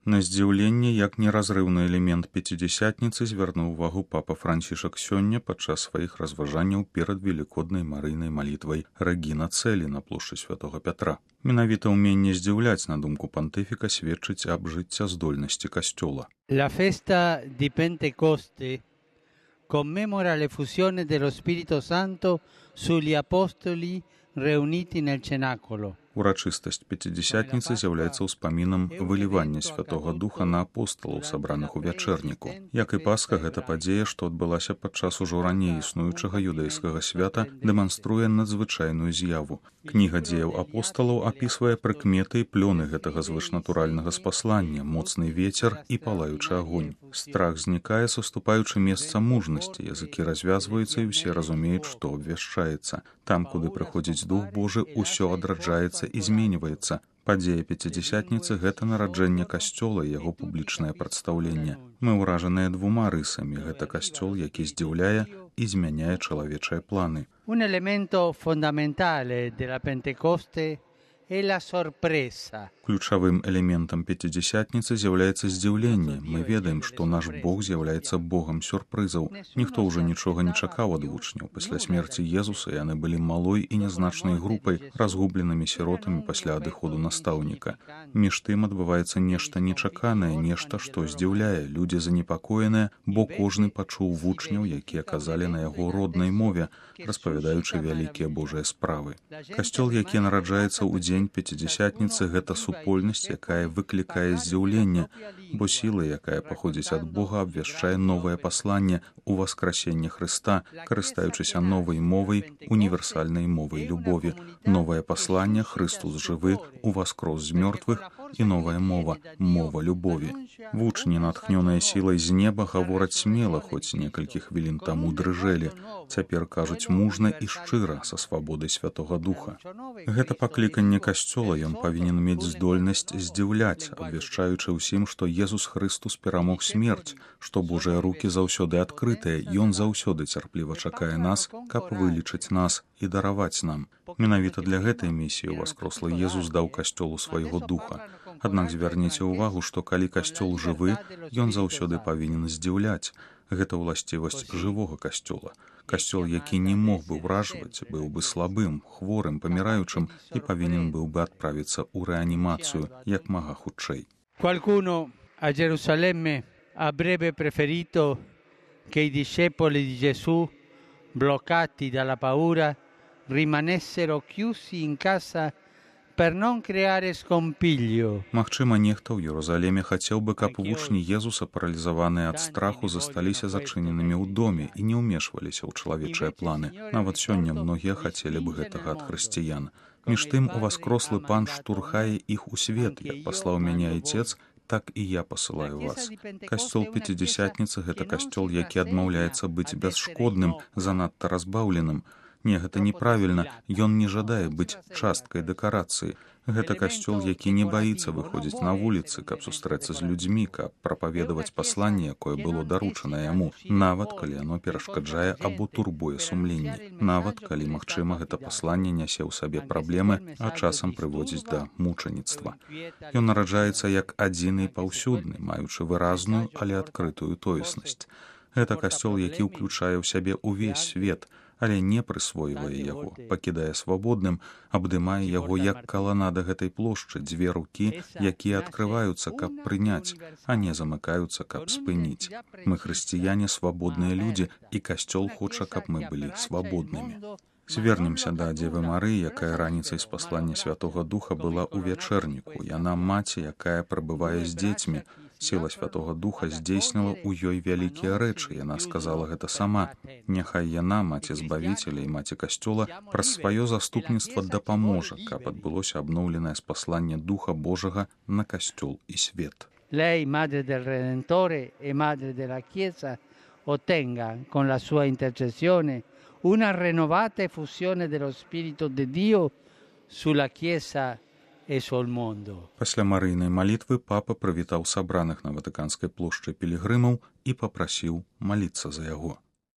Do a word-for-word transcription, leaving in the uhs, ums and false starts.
На здзіўленне, як неразрыўны элемент пяцідзясятніцы, звярнуў увагу папа Францішак сёння падчас сваіх разважанняў перад велікоднай марыйнай малітвай Рэгіна Цэлі на плошчы святога Пятра. Менавіта ўменне здзіўляць, на думку пантыфіка, сведчыць аб жыццяздольнасці касцёла. La festa di Pentecoste commemora l'effusione dello Spirito Santo sugli apostoli riuniti nel cenacolo. Урачыстасць пяцідзясятніцы з'яўляецца ўспамінам вылівання святога духа на апосталаў, сабраных у вячэрніку. Як і Пасха, гэта падзея, што адбылася падчас ужо раней існуючага юдэйскага свята, дэманструе надзвычайную з'яву. Кніга дзеяў апосталаў апісвае прыкметы і плёны гэтага звышнатуральнага спаслання, моцны вецер і палаючы агонь. Страх знікае, саступаючы месца мужнасці, языкі развязваюцца і ўсе разумеюць, што абвяшчаецца. Там, куды прыходзіць Дух Божы, усё адраджаецца і зменьваецца. Падзея пяцідзясятніцы – гэта нараджэнне касцёла і яго публічнае прадстаўленне. Мы ўражаныя двума рысамі. Гэта касцёл, які здзіўляе і змяняе чалавечыя планы. Un elemento fondamentale della Pentecoste è la sorpresa. Ключавым элементам пяцідзясятніцы з'яўляецца здзіўленне. Мы ведаем, што наш Бог з'яўляецца Богам сюрпрызаў. Ніхто ўжо нічога не чакаў ад вучняў. Пасля смерці Езуса яны былі малой і нязначнай групай, разгубленымі сіротамі пасля адыходу настаўніка. Між тым адбываецца нешта нечаканае, нешта, што здзіўляе. Людзі занепакоеныя, бо кожны пачуў вучняў, якія казалі на яго роднай мове, распавядаючы вялікія Божыя справы. Касцёл, які нараджаецца ў дзень пяцідзясятніцы, гэта супольнасць, якая выклікае здзіўленне, бо сіла, якая паходзіць ад Бога, абвяшчае новае пасланне ў васкрасенне Хрыста, карыстаючыся новай мовай, універсальнай мовай любові. Новае пасланне Хрыстус жывы, уваскрос з мёртвых, і новая мова – мова любові. Вучні, натхнёныя сілай з неба, гавораць смела, хоць некалькі хвілін таму дрыжэлі. Цяпер кажуць мужна і шчыра, са свабодай Святога Духа. Гэта пакліканне касцёла, ён павінен мець здольнасць здзіўляць, абвяшчаючы ўсім, што Езус Хрыстус перамог смерць, што Божыя рукі заўсёды адкрытыя, ён заўсёды цярпліва чакае нас, каб вылічыць нас і дараваць нам. Менавіта для гэтай місіі ўваскрослы Езус даў касцёлу свайго духа. Аднак звярніце ўвагу, што калі касцёл жывы, ён заўсёды павінен здзіўляць. Гэта ўласцівасць жывога касцёла. Касцёл, які не мог бы ўражваць, быў бы слабым, хворым, паміраючым і павінен быў бы адправіцца ў рэанімацыю як мага хутчэй. Qualcuno a Gerusalemme avrebbe preferito che i discepoli di Gesù, bloccati dalla paura, rimanessero chiusi in casa per non creare scompiglio. Магчыма, нехта ў Єрусаліме хацеў бы, каб вучні Езуса, паралізаваныя ад страху, засталіся зачыненымі ў доме і не ўмешваліся ў чалавечыя планы. Нават сёння многія хацелі б гэтага ад хрысціян. Між тым, уваскрослы Пан штурхае іх у свет, як паслаў мяне Айцец, так і я пасылаю вас. Касцёл пяцідзясятніцы – гэта касцёл, які адмаўляецца быць бясшкодным, занадта разбаўленым. Не, гэта неправільна, ён не жадае быць часткай дэкарацыі. Гэта касцёл, які не баіцца выходзіць на вуліцы, каб сустрэцца з людзьмі, каб прапаведаваць пасланне, якое было даручана яму, нават калі яно перашкаджае або турбуе сумленне, нават калі, магчыма, гэта пасланне нясе ў сабе праблемы, а часам прыводзіць да мучаніцтва. Ён нараджаецца як адзіны і паўсюдны, маючы выразную, але адкрытую тоеснасць. Гэта касцёл, які ўключае ў сябе ўвесь свет, але не прысвойвае яго, пакідае свабодным, абдымае яго як каланада гэтай плошчы, дзве рукі, якія адкрываюцца, каб прыняць, а не замыкаюцца, каб спыніць. Мы хрысціяне, свабодныя людзі, і касцёл хоча, каб мы былі свабоднымі. Звернемся да Дзевы Марыі, якая раніцай з паслання Святога Духа была ў вячэрніку. Яна маці, якая прабывае з дзецьмі. Сіла Святога Духа здзейсніла ў ёй вялікія рэчы. Яна сказала гэта сама. Няхай яна, маці Збавіцеля і маці Касцёла, праз сваё заступніцтва дапаможа, каб адбылося абноўленае спасланне Духа Божага на Касцёл і свет. Lei, madre del Redentore e madre della Chiesa, ottenga con la sua intercessione una rinnovata effusione dello Spirito di Dio sulla Chiesa e sul mondo. Пасля марыйнай малітвы папа прывітаў сабраных на Ватыканскай плошчы пілігрымаў і папрасіў маліцца за яго.